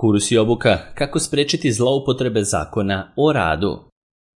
Kurs i obuka kako sprečiti zloupotrebe zakona o radu.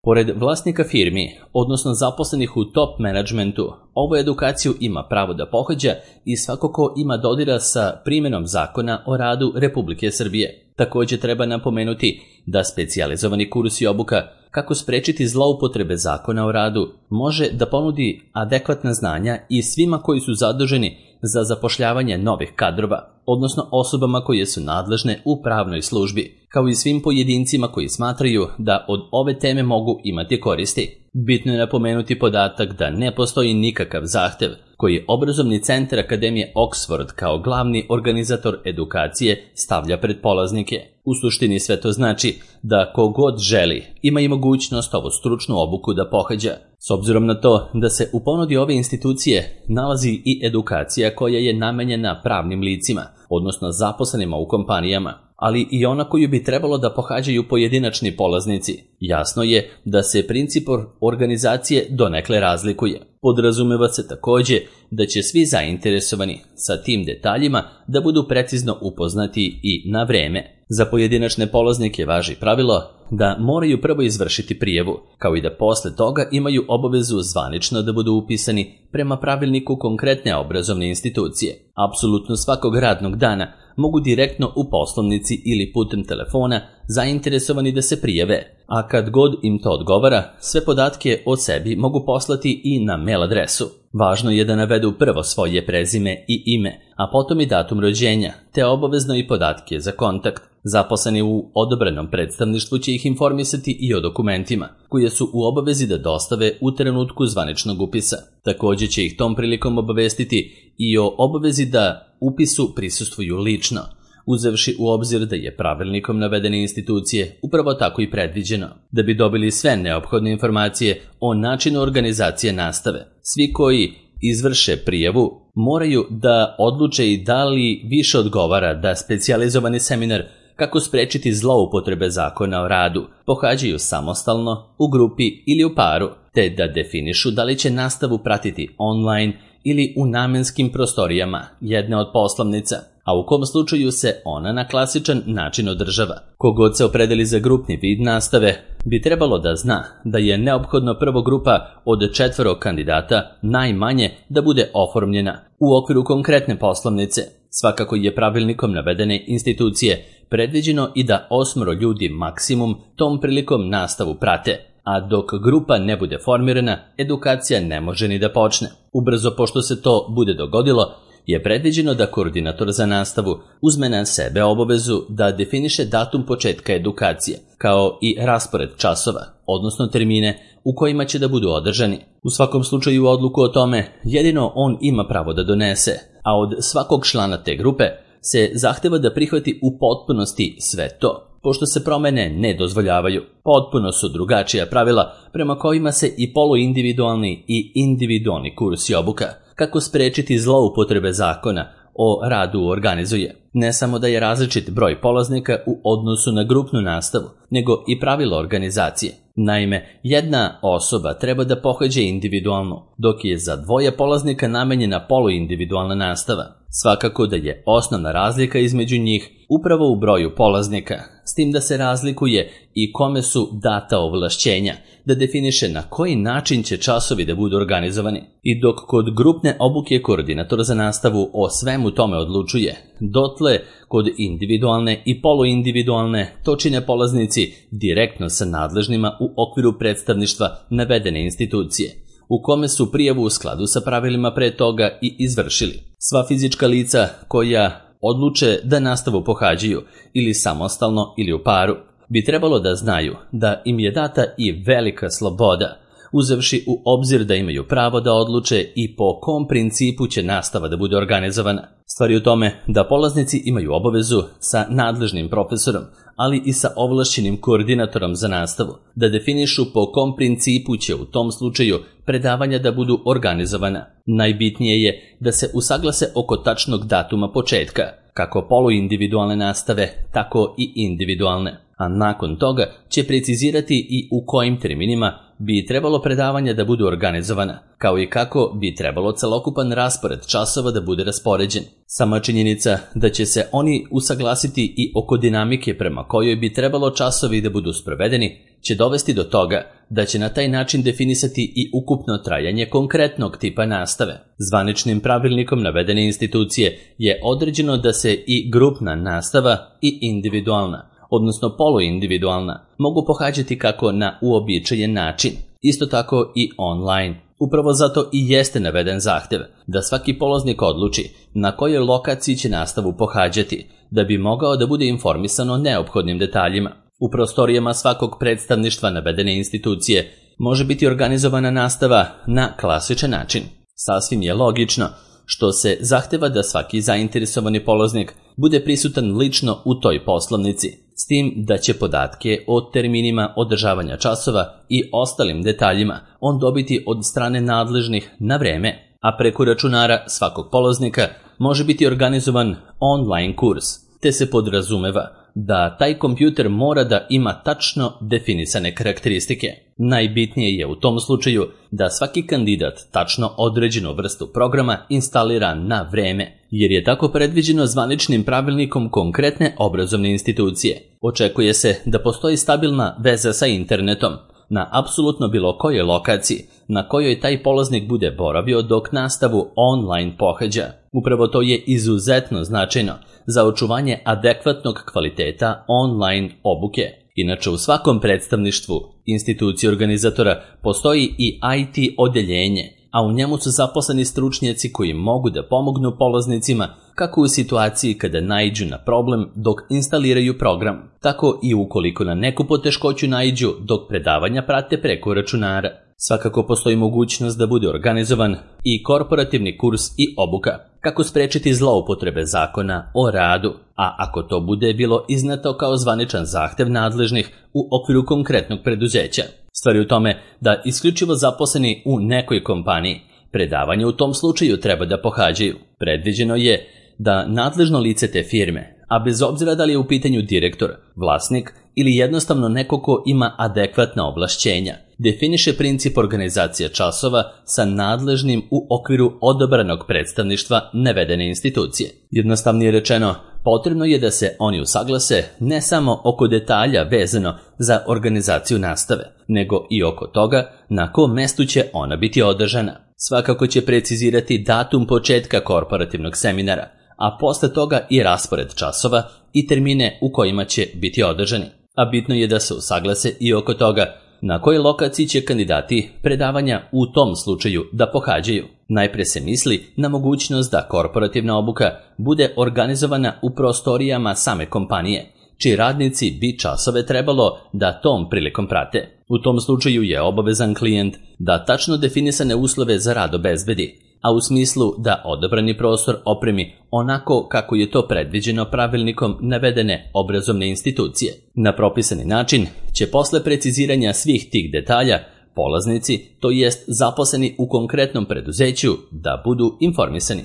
Pored vlasnika firmi, odnosno zaposlenih u top menadžmentu, ovu edukaciju ima pravo da pohađa i svako ko ima dodira sa primjenom zakona o radu Republike Srbije. Također treba napomenuti da specijalizovani kurs i obuka kako sprečiti zloupotrebe zakona o radu može da ponudi adekvatna znanja i svima koji su zaduženi za zapošljavanje novih kadrova, odnosno osobama koje su nadležne u pravnoj službi, kao i svim pojedincima koji smatraju da od ove teme mogu imati koristi. Bitno je napomenuti podatak da ne postoji nikakav zahtev koji Obrazovni centar Akademije Oxford kao glavni organizator edukacije stavlja pred polaznike. U suštini sve to znači da kogod želi ima i mogućnost ovu stručnu obuku da pohađa. S obzirom na to da se u ponudi ove institucije nalazi i edukacija koja je namenjena pravnim licima, odnosno zaposlenima u kompanijama, ali i ona koju bi trebalo da pohađaju pojedinačni polaznici. Jasno je da se princip organizacije donekle razlikuje. Podrazumeva se također da će svi zainteresovani sa tim detaljima da budu precizno upoznati i na vreme. Za pojedinačne polaznike važi pravilo da moraju prvo izvršiti prijavu, kao i da posle toga imaju obavezu zvanično da budu upisani prema pravilniku konkretne obrazovne institucije. Apsolutno svakog radnog dana mogu direktno u poslovnici ili putem telefona zainteresovani da se prijave, a kad god im to odgovara, sve podatke o sebi mogu poslati i na mail adresu. Važno je da navedu prvo svoje prezime i ime, a potom i datum rođenja, te obavezno i podatke za kontakt. Zaposleni u odobrenom predstavništvu će ih informisati i o dokumentima, koje su u obavezi da dostave u trenutku zvaničnog upisa. Također će ih tom prilikom obavestiti i o obavezi da upisu prisustvuju lično, uzevši u obzir da je pravilnikom navedene institucije upravo tako i predviđeno. Da bi dobili sve neophodne informacije o načinu organizacije nastave, svi koji izvrše prijavu moraju da odluče i da li više odgovara da specijalizovani seminar kako sprečiti zloupotrebe zakona o radu pohađaju samostalno, u grupi ili u paru, te da definišu da li će nastavu pratiti online ili u namenskim prostorijama jedne od poslovnica, a u kom slučaju se ona na klasičan način održava. Kogod se opredeli za grupni vid nastave bi trebalo da zna da je neophodno prvo grupa od 4 kandidata najmanje da bude oformljena u okviru konkretne poslovnice. Svakako je pravilnikom navedene institucije predviđeno i da 8 ljudi maksimum tom prilikom nastavu prate, a dok grupa ne bude formirana, edukacija ne može ni da počne. Ubrzo pošto se to bude dogodilo, je predviđeno da koordinator za nastavu uzme na sebe obavezu da definiše datum početka edukacije, kao i raspored časova, odnosno termine u kojima će da budu održani. U svakom slučaju odluku o tome jedino on ima pravo da donese, a od svakog člana te grupe se zahteva da prihvati u potpunosti sve to, pošto se promene ne dozvoljavaju. Potpuno su drugačija pravila prema kojima se i poluindividualni i individualni kurs i obuka kako sprečiti zloupotrebe zakona o radu organizuje. Ne samo da je različit broj polaznika u odnosu na grupnu nastavu, nego i pravilo organizacije. Naime, jedna osoba treba da pohađa individualno, dok je za 2 polaznika namenjena poluindividualna nastava. Svakako da je osnovna razlika između njih upravo u broju polaznika, s tim da se razlikuje i kome su data ovlašćenja da definiše na koji način će časovi da budu organizovani. I dok kod grupne obuke koordinator za nastavu o svemu tome odlučuje, dotle kod individualne i poluindividualne to čine polaznici direktno sa nadležnima u okviru predstavništva navedene institucije, u kome su prijavu u skladu sa pravilima pre toga i izvršili. Sva fizička lica koja odluče da nastavu pohađaju ili samostalno ili u paru bi trebalo da znaju da im je data i velika sloboda, uzevši u obzir da imaju pravo da odluče i po kom principu će nastava da bude organizovana. Stvar je u tome da polaznici imaju obavezu sa nadležnim profesorom, ali i sa ovlašćenim koordinatorom za nastavu, da definišu po kom principu će u tom slučaju predavanja da budu organizovana. Najbitnije je da se usaglase oko tačnog datuma početka, kako poluindividualne nastave, tako i individualne. a nakon toga će precizirati i u kojim terminima bi trebalo predavanja da budu organizovana, kao i kako bi trebalo celokupan raspored časova da bude raspoređen. Sama činjenica da će se oni usaglasiti i oko dinamike prema kojoj bi trebalo časovi da budu sprovedeni, će dovesti do toga da će na taj način definisati i ukupno trajanje konkretnog tipa nastave. Zvaničnim pravilnikom navedene institucije je određeno da se i grupna nastava i individualna, odnosno poluindividualna, mogu pohađati kako na uobičajen način, isto tako i online. Upravo zato i jeste naveden zahtev da svaki polaznik odluči na kojoj lokaciji će nastavu pohađati, da bi mogao da bude informisan o neophodnim detaljima. U prostorijama svakog predstavništva navedene institucije može biti organizovana nastava na klasičan način. Sasvim je logično što se zahteva da svaki zainteresovani polaznik bude prisutan lično u toj poslovnici, s tim da će podatke o terminima održavanja časova i ostalim detaljima on dobiti od strane nadležnih na vreme, a preko računara svakog polaznika može biti organizovan online kurs, te se podrazumeva da taj kompjuter mora da ima tačno definisane karakteristike. Najbitnije je u tom slučaju da svaki kandidat tačno određenu vrstu programa instalira na vreme, jer je tako predviđeno zvaničnim pravilnikom konkretne obrazovne institucije. Očekuje se da postoji stabilna veza sa internetom na apsolutno bilo kojoj lokaciji na kojoj taj polaznik bude boravio dok nastavu online pohađa. Upravo to je izuzetno značajno za očuvanje adekvatnog kvaliteta online obuke. Inače, u svakom predstavništvu institucije organizatora postoji i IT odeljenje, a u njemu su zaposleni stručnjaci koji mogu da pomognu polaznicima kako u situaciji kada naiđu na problem dok instaliraju program, tako i ukoliko na neku poteškoću naiđu dok predavanja prate preko računara. Svakako postoji mogućnost da bude organizovan i korporativni kurs i obuka, kako sprečiti zloupotrebe zakona o radu, a ako to bude bilo izneto kao zvaničan zahtev nadležnih u okviru konkretnog preduzeća. Stvar je u tome da isključivo zaposleni u nekoj kompaniji predavanje u tom slučaju treba da pohađaju. Predviđeno je da nadležno lice te firme, a bez obzira da li je u pitanju direktor, vlasnik ili jednostavno neko ko ima adekvatna ovlašćenja, definiše princip organizacije časova sa nadležnim u okviru odabranog predstavništva navedene institucije. Jednostavnije rečeno, potrebno je da se oni usaglase ne samo oko detalja vezano za organizaciju nastave, nego i oko toga na kom mestu će ona biti održana. Svakako će precizirati datum početka korporativnog seminara, a posle toga i raspored časova i termine u kojima će biti održani. A bitno je da se usaglase i oko toga na kojoj lokaciji će kandidati predavanja u tom slučaju da pohađaju. Najpre se misli na mogućnost da korporativna obuka bude organizovana u prostorijama same kompanije, čiji radnici bi časove trebalo da tom prilikom prate. U tom slučaju je obavezan klijent da tačno definisane uslove za rad obezbedi, a u smislu da odabrani prostor opremi onako kako je to predviđeno pravilnikom navedene obrazovne institucije. Na propisani način će posle preciziranja svih tih detalja polaznici, to jest zaposleni u konkretnom preduzeću, da budu informisani.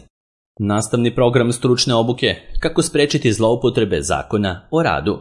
Nastavni program stručne obuke kako sprečiti zloupotrebe zakona o radu.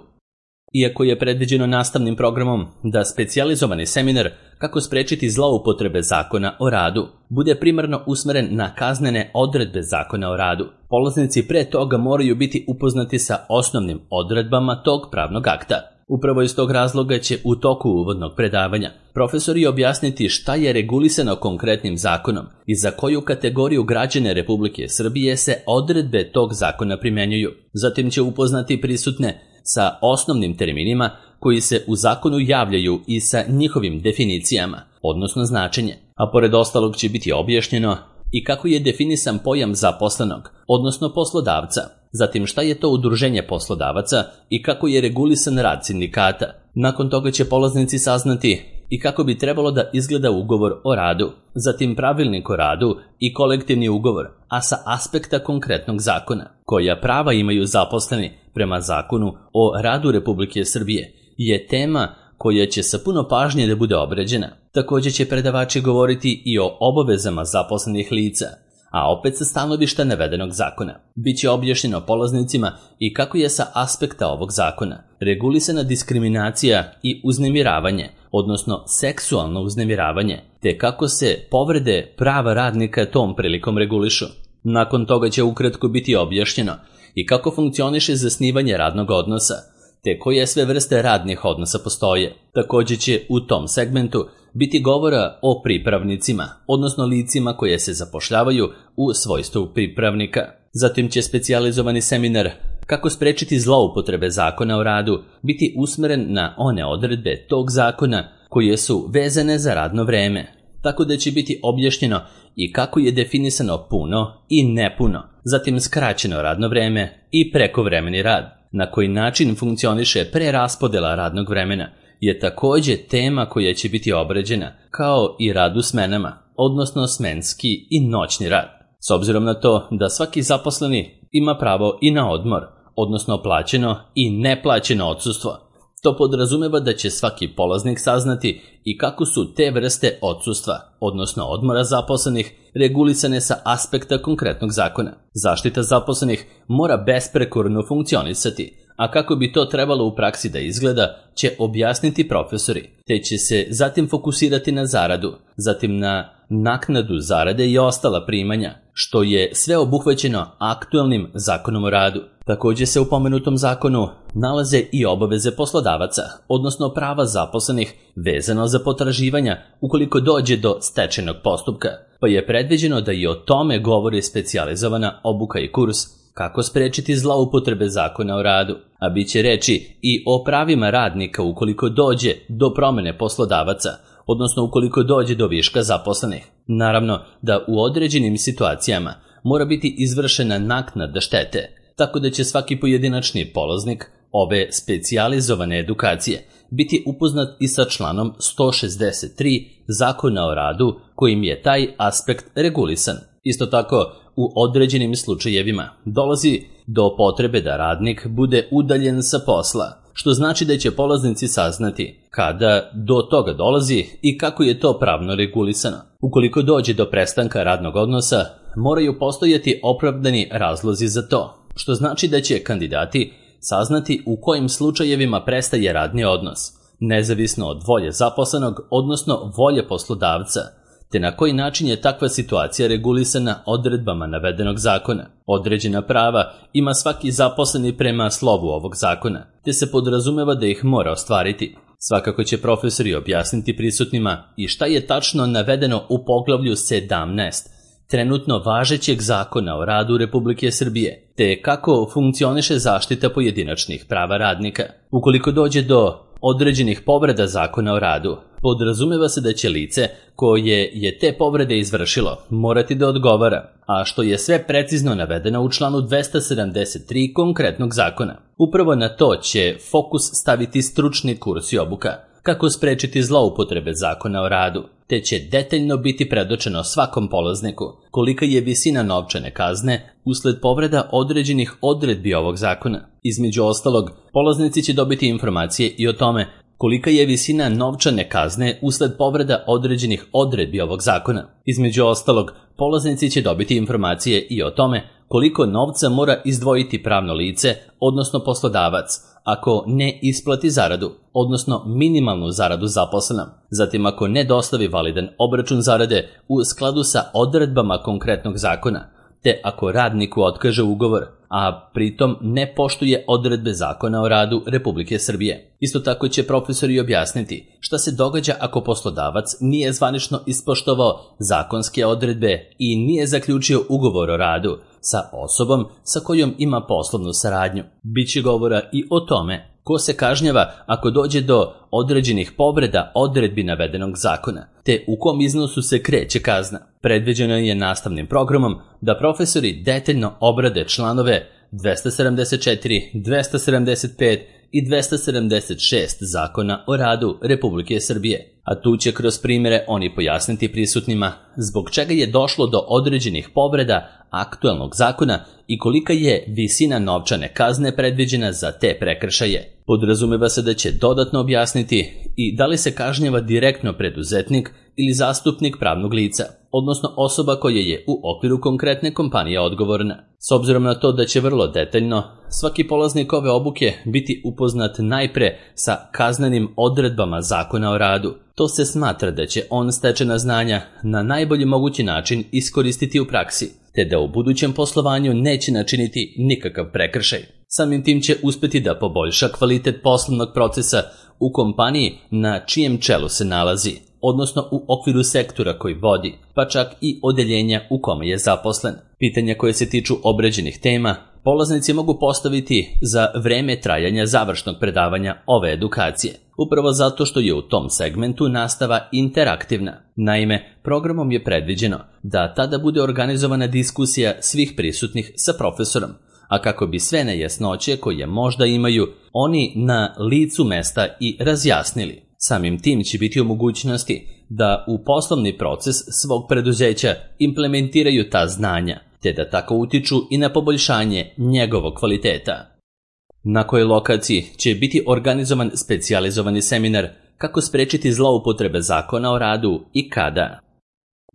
Iako je predviđeno nastavnim programom da specijalizovani seminar kako sprečiti zloupotrebe zakona o radu bude primarno usmeren na kaznene odredbe zakona o radu, polaznici pre toga moraju biti upoznati sa osnovnim odredbama tog pravnog akta. Upravo iz tog razloga će u toku uvodnog predavanja profesori objasniti šta je regulisano konkretnim zakonom i za koju kategoriju građana Republike Srbije se odredbe tog zakona primenjuju. Zatim će upoznati prisutne sa osnovnim terminima koji se u zakonu javljaju i sa njihovim definicijama, odnosno značenje, a pored ostalog će biti objašnjeno i kako je definisan pojam zaposlenog, odnosno poslodavca, zatim šta je to udruženje poslodavaca i kako je regulisan rad sindikata. Nakon toga će polaznici saznati i kako bi trebalo da izgleda ugovor o radu, zatim pravilnik o radu i kolektivni ugovor, a sa aspekta konkretnog zakona, koja prava imaju zaposleni prema zakonu o radu Republike Srbije, je tema koja će sa puno pažnje da bude obrađena. Također će predavači govoriti i o obavezama zaposlenih lica, a opet sa stanovišta navedenog zakona. Biće objašnjeno polaznicima i kako je sa aspekta ovog zakona regulisana diskriminacija i uznemiravanje, odnosno seksualno uznemiravanje, te kako se povrede prava radnika tom prilikom regulišu. Nakon toga će ukratko biti objašnjeno i kako funkcioniše zasnivanje radnog odnosa, te koje sve vrste radnih odnosa postoje. Također će u tom segmentu biti govora o pripravnicima, odnosno licima koje se zapošljavaju u svojstvu pripravnika. Zatim će specijalizovani seminar kako sprečiti zloupotrebe zakona o radu biti usmeren na one odredbe tog zakona koje su vezane za radno vreme, tako da će biti objašnjeno i kako je definisano puno i nepuno, zatim skraćeno radno vreme i prekovremeni rad. Na koji način funkcioniše preraspodela radnog vremena je također tema koja će biti obrađena, kao i rad u smenama, odnosno smenski i noćni rad. S obzirom na to da svaki zaposleni ima pravo i na odmor, odnosno plaćeno i neplaćeno odsustvo, to podrazumeva da će svaki polaznik saznati i kako su te vrste odsustva, odnosno odmora zaposlenih, regulisane sa aspekta konkretnog zakona. Zaštita zaposlenih mora besprekorno funkcionisati, a kako bi to trebalo u praksi da izgleda će objasniti profesori, te će se zatim fokusirati na zaradu, zatim na naknadu zarade i ostala primanja, što je sve obuhvaćeno aktualnim zakonom o radu. Također se u pomenutom zakonu nalaze i obaveze poslodavaca, odnosno prava zaposlenih vezano za potraživanja ukoliko dođe do stečajnog postupka, pa je predviđeno da i o tome govori specijalizovana obuka i kurs kako sprečiti zloupotrebe zakona o radu, a bit će reći i o pravima radnika ukoliko dođe do promene poslodavaca, odnosno ukoliko dođe do viška zaposlenih. Naravno da u određenim situacijama mora biti izvršena naknada štete, tako da će svaki pojedinačni polaznik ove specijalizovane edukacije biti upoznat i sa članom 163 Zakona o radu kojim je taj aspekt regulisan. Isto tako, u određenim slučajevima dolazi do potrebe da radnik bude udaljen sa posla, što znači da će polaznici saznati kada do toga dolazi i kako je to pravno regulisano. Ukoliko dođe do prestanka radnog odnosa, moraju postojati opravdani razlozi za to, što znači da će kandidati saznati u kojim slučajevima prestaje radni odnos, nezavisno od volje zaposlenog, odnosno volje poslodavca, te na koji način je takva situacija regulisana odredbama navedenog zakona. Određena prava ima svaki zaposleni prema slovu ovog zakona, te se podrazumeva da ih mora ostvariti. Svakako će profesori objasniti prisutnima i šta je tačno navedeno u poglavlju 17 trenutno važećeg zakona o radu Republike Srbije, te kako funkcioniše zaštita pojedinačnih prava radnika. Ukoliko dođe do određenih povreda zakona o radu, podrazumeva se da će lice koje je te povrede izvršilo morati da odgovara, a što je sve precizno navedeno u članu 273 konkretnog zakona. Upravo na to će fokus staviti stručni kurs i obuka, kako sprečiti zloupotrebe zakona o radu, te će detaljno biti predočeno svakom polazniku kolika je visina novčane kazne usled povreda određenih odredbi ovog zakona. Između ostalog, polaznici će dobiti informacije i o tome kolika je visina novčane kazne usled povreda određenih odredbi ovog zakona. Između ostalog, polaznici će dobiti informacije i o tome koliko novca mora izdvojiti pravno lice, odnosno poslodavac, ako ne isplati zaradu, odnosno minimalnu zaradu zaposlenom, zatim ako ne dostavi validan obračun zarade u skladu sa odredbama konkretnog zakona, te ako radniku otkaže ugovor, a pritom ne poštuje odredbe zakona o radu Republike Srbije. Isto tako će profesori objasniti šta se događa ako poslodavac nije zvanično ispoštovao zakonske odredbe i nije zaključio ugovor o radu sa osobom sa kojom ima poslovnu saradnju. Biće govora i o tome ko se kažnjava ako dođe do određenih povreda odredbi navedenog zakona, te u kom iznosu se kreće kazna. Predviđeno je nastavnim programom da profesori detaljno obrade članove 274, 275 i 276 Zakona o radu Republike Srbije, a tu će kroz primjere oni pojasniti prisutnima zbog čega je došlo do određenih povreda aktualnog zakona i kolika je visina novčane kazne predviđena za te prekršaje. Podrazumeva se da će dodatno objasniti i da li se kažnjava direktno preduzetnik ili zastupnik pravnog lica, odnosno osoba koja je u okviru konkretne kompanije odgovorna. S obzirom na to da će vrlo detaljno svaki polaznik ove obuke biti upoznat najpre sa kaznenim odredbama Zakona o radu, to se smatra da će on stečena znanja na najbolji mogući način iskoristiti u praksi, te da u budućem poslovanju neće načiniti nikakav prekršaj. Samim tim će uspjeti da poboljša kvalitet poslovnog procesa u kompaniji na čijem čelu se nalazi, odnosno u okviru sektora koji vodi, pa čak i odeljenja u kome je zaposlen. Pitanja koje se tiču obrađenih tema polaznici mogu postaviti za vreme trajanja završnog predavanja ove edukacije, upravo zato što je u tom segmentu nastava interaktivna. Naime, programom je predviđeno da tada bude organizovana diskusija svih prisutnih sa profesorom, a kako bi sve nejasnoće koje možda imaju oni na licu mesta i razjasnili. Samim tim će biti u mogućnosti da u poslovni proces svog preduzeća implementiraju ta znanja, te da tako utiču i na poboljšanje njegovog kvaliteta. Na kojoj lokaciji će biti organizovan specijalizovani seminar kako sprečiti zloupotrebe Zakona o radu i kada?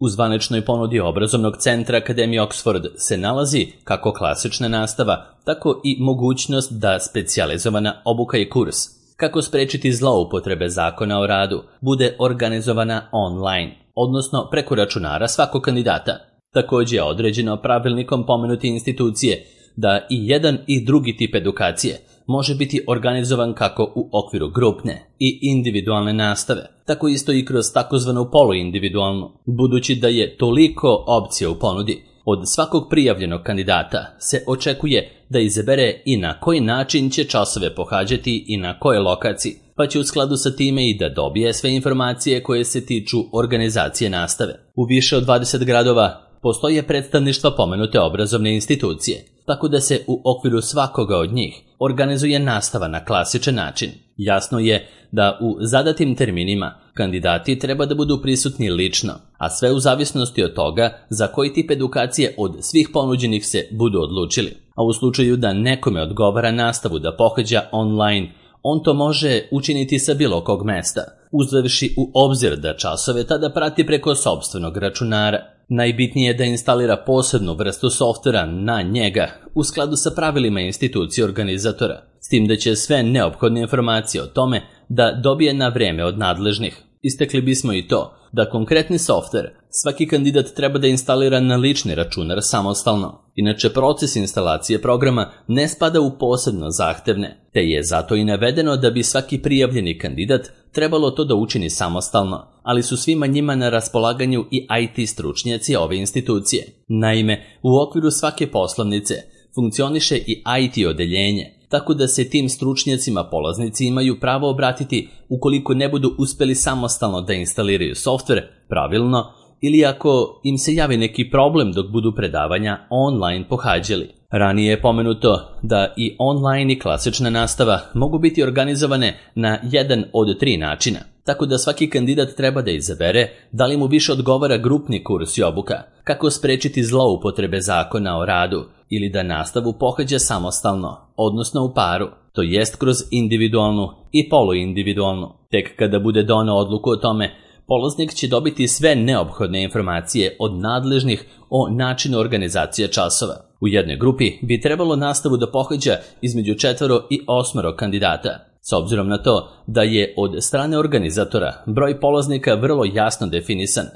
U zvaničnoj ponudi obrazovnog centra Akademije Oxford se nalazi kako klasična nastava, tako i mogućnost da specijalizovana obuka i kurs kako sprečiti zloupotrebe Zakona o radu bude organizovana online, odnosno preko računara svakog kandidata. Također je određeno pravilnikom pomenute institucije da i jedan i drugi tip edukacije može biti organizovan kako u okviru grupne i individualne nastave, tako isto i kroz takozvanu poluindividualnu, budući da je toliko opcija u ponudi. Od svakog prijavljenog kandidata se očekuje da izabere i na koji način će časove pohađati i na kojoj lokaciji, pa će u skladu sa time i da dobije sve informacije koje se tiču organizacije nastave. U više od 20 gradova postoje predstavništva pomenute obrazovne institucije, tako da se u okviru svakoga od njih organizuje nastava na klasičan način. Jasno je da u zadatim terminima kandidati treba da budu prisutni lično, a sve u zavisnosti od toga za koji tip edukacije od svih ponuđenih se budu odlučili. A u slučaju da nekome odgovara nastavu da pohađa online, on to može učiniti sa bilo kog mesta, uzevši u obzir da časove tada prati preko sopstvenog računara. Najbitnije je da instalira posebnu vrstu softvera na njega u skladu sa pravilima institucije organizatora, s tim da će sve neophodne informacije o tome da dobije na vreme od nadležnih. Istakli bismo i to da konkretni softver svaki kandidat treba da instalira na lični računar samostalno. Inače, proces instalacije programa ne spada u posebno zahtevne, te je zato i navedeno da bi svaki prijavljeni kandidat trebalo to da učini samostalno, ali su svima njima na raspolaganju i IT stručnjaci ove institucije. Naime, u okviru svake poslovnice funkcioniše i IT odeljenje, tako da se tim stručnjacima polaznici imaju pravo obratiti ukoliko ne budu uspjeli samostalno da instaliraju softver pravilno ili ako im se javi neki problem dok budu predavanja online pohađali. Ranije je pomenuto da i online i klasična nastava mogu biti organizovane na jedan od 3 načina, tako da svaki kandidat treba da izabere da li mu više odgovara grupni kurs i obuka, kako sprečiti zloupotrebe Zakona o radu, ili da nastavu pohađa samostalno, odnosno u paru, to jest kroz individualnu i poluindividualnu. Tek kada bude doneo odluku o tome, polaznik će dobiti sve neophodne informacije od nadležnih o načinu organizacije časova. U jednoj grupi bi trebalo nastavu da pohađa između 4 i 8 kandidata. S obzirom na to da je od strane organizatora broj polaznika vrlo jasno definisan,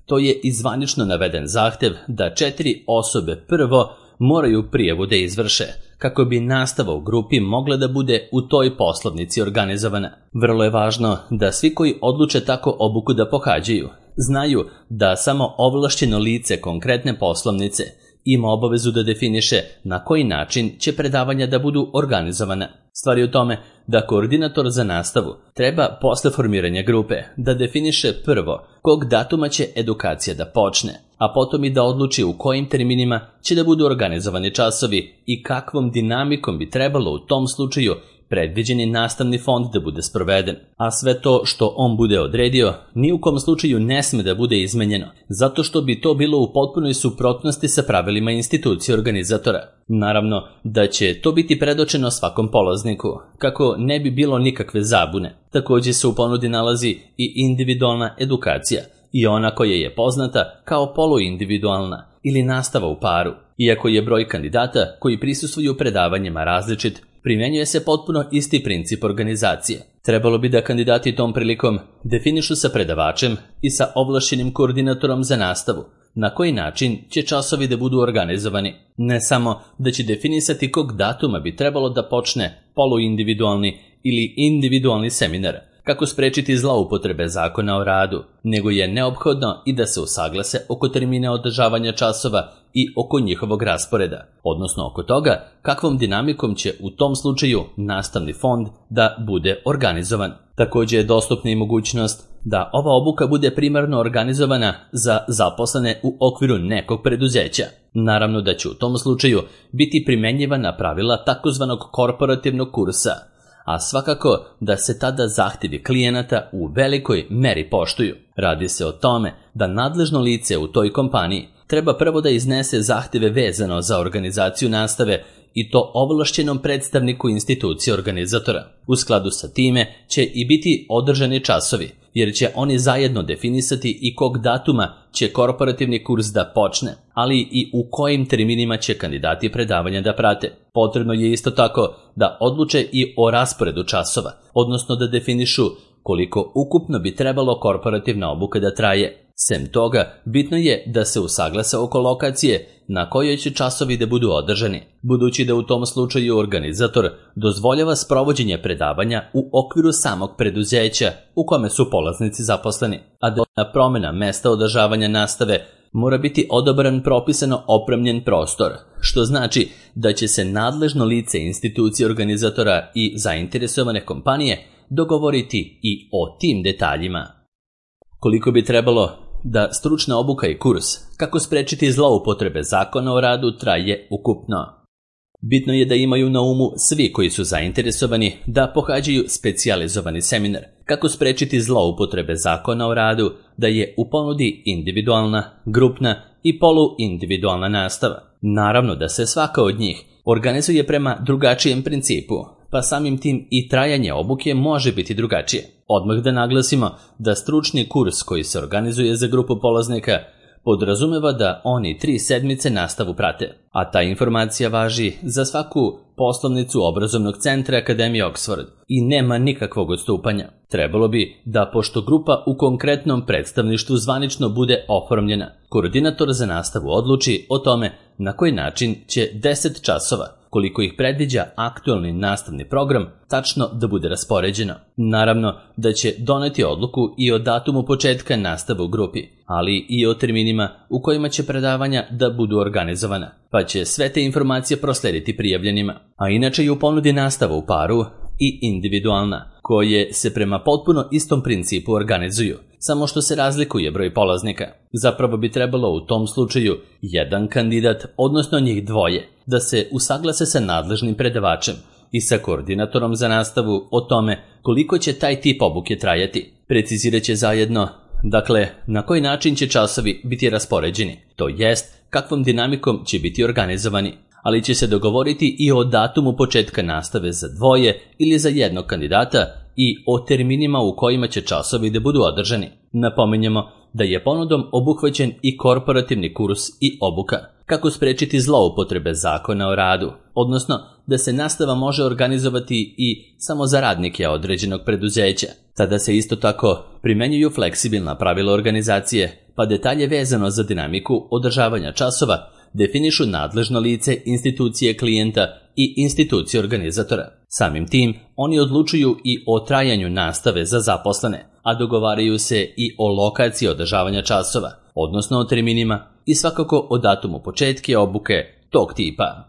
to je i zvanično naveden zahtev da 4 osobe prvo moraju prijavu da izvrše, kako bi nastava u grupi mogla da bude u toj poslovnici organizovana. Vrlo je važno da svi koji odluče tako obuku da pohađaju, znaju da samo ovlašćeno lice konkretne poslovnice ima obavezu da definiše na koji način će predavanja da budu organizovana. Stvar je u tome da koordinator za nastavu treba posle formiranja grupe da definiše prvo kog datuma će edukacija da počne, a potom i da odluči u kojim terminima će da budu organizovani časovi i kakvom dinamikom bi trebalo u tom slučaju predviđeni nastavni fond da bude sproveden, a sve to što on bude odredio ni u kom slučaju ne sme da bude izmenjeno, zato što bi to bilo u potpunoj suprotnosti sa pravilima institucije organizatora. Naravno da će to biti predočeno svakom polazniku, kako ne bi bilo nikakve zabune. Također se u ponudi nalazi i individualna edukacija, i ona koja je poznata kao poluindividualna ili nastava u paru. Iako je broj kandidata koji prisustvuju predavanjima različit, primjenjuje se potpuno isti princip organizacije. Trebalo bi da kandidati tom prilikom definišu sa predavačem i sa ovlašćenim koordinatorom za nastavu na koji način će časovi da budu organizovani. Ne samo da će definisati kog datuma bi trebalo da počne poluindividualni ili individualni seminar, kako sprečiti zloupotrebe zakona o radu, nego je neophodno i da se usaglase oko termina održavanja časova i oko njihovog rasporeda, odnosno oko toga kakvom dinamikom će u tom slučaju nastavni fond da bude organizovan. Također je dostupna i mogućnost da ova obuka bude primarno organizovana za zaposlene u okviru nekog preduzeća. Naravno da će u tom slučaju biti primenjivana pravila takozvanog korporativnog kursa, a svakako da se tada zahtjevi klijenata u velikoj meri poštuju. Radi se o tome da nadležno lice u toj kompaniji treba prvo da iznese zahtjeve vezano za organizaciju nastave i to ovlašćenom predstavniku institucije organizatora. U skladu sa time će i biti održani časovi, jer će oni zajedno definisati i kog datuma će korporativni kurs da počne, ali i u kojim terminima će kandidati predavanja da prate. Potrebno je isto tako da odluče i o rasporedu časova, odnosno da definišu koliko ukupno bi trebalo korporativna obuka da traje. Sem toga, bitno je da se usaglase oko lokacije na kojoj će časovi da budu održani, budući da u tom slučaju organizator dozvoljava sprovođenje predavanja u okviru samog preduzeća u kome su polaznici zaposleni, a da promjena mesta održavanja nastave mora biti odobran propisano opremljen prostor, što znači da će se nadležno lice institucije organizatora i zainteresovane kompanije dogovoriti i o tim detaljima. Koliko bi trebalo da stručna obuka i kurs kako sprečiti zloupotrebe zakona o radu traje ukupno? Bitno je da imaju na umu svi koji su zainteresovani da pohađaju specijalizovani seminar kako sprečiti zloupotrebe zakona o radu, da je u ponudi individualna, grupna i poluindividualna nastava. Naravno da se svaka od njih organizuje prema drugačijem principu, pa samim tim i trajanje obuke može biti drugačije. Odmah da naglasimo da stručni kurs koji se organizuje za grupu polaznika podrazumeva da oni 3 sedmice nastavu prate, a ta informacija važi za svaku poslovnicu obrazovnog centra Akademije Oxford i nema nikakvog odstupanja. Trebalo bi da, pošto grupa u konkretnom predstavništvu zvanično bude oformljena, koordinator za nastavu odluči o tome na koji način će 10 časova, koliko ih predviđa aktualni nastavni program, tačno da bude raspoređeno. Naravno da će doneti odluku i o datumu početka nastave u grupi, ali i o terminima u kojima će predavanja da budu organizovana, pa će sve te informacije proslediti prijavljenima. A inače je u ponudi nastava u paru i individualna, koje se prema potpuno istom principu organizuju, samo što se razlikuje broj polaznika. Zapravo bi trebalo u tom slučaju jedan kandidat, odnosno njih dvoje, da se usaglase sa nadležnim predavačem i sa koordinatorom za nastavu o tome koliko će taj tip obuke trajati. Precizirat će zajedno, dakle, na koji način će časovi biti raspoređeni, to jest kakvom dinamikom će biti organizovani, ali će se dogovoriti i o datumu početka nastave za dvoje ili za jednog kandidata i o terminima u kojima će časovi da budu održani. Napominjemo da je ponudom obuhvaćen i korporativni kurs i obuka, kako sprečiti zloupotrebe zakona o radu, odnosno da se nastava može organizovati i samo za radnike određenog preduzeća. Tada se isto tako primenjuju fleksibilna pravila organizacije, pa detalje vezano za dinamiku održavanja časova definišu nadležno lice institucije klijenta i institucije organizatora. Samim tim, oni odlučuju i o trajanju nastave za zaposlene, a dogovaraju se i o lokaciji održavanja časova, odnosno o terminima i svakako o datumu početka obuke tog tipa.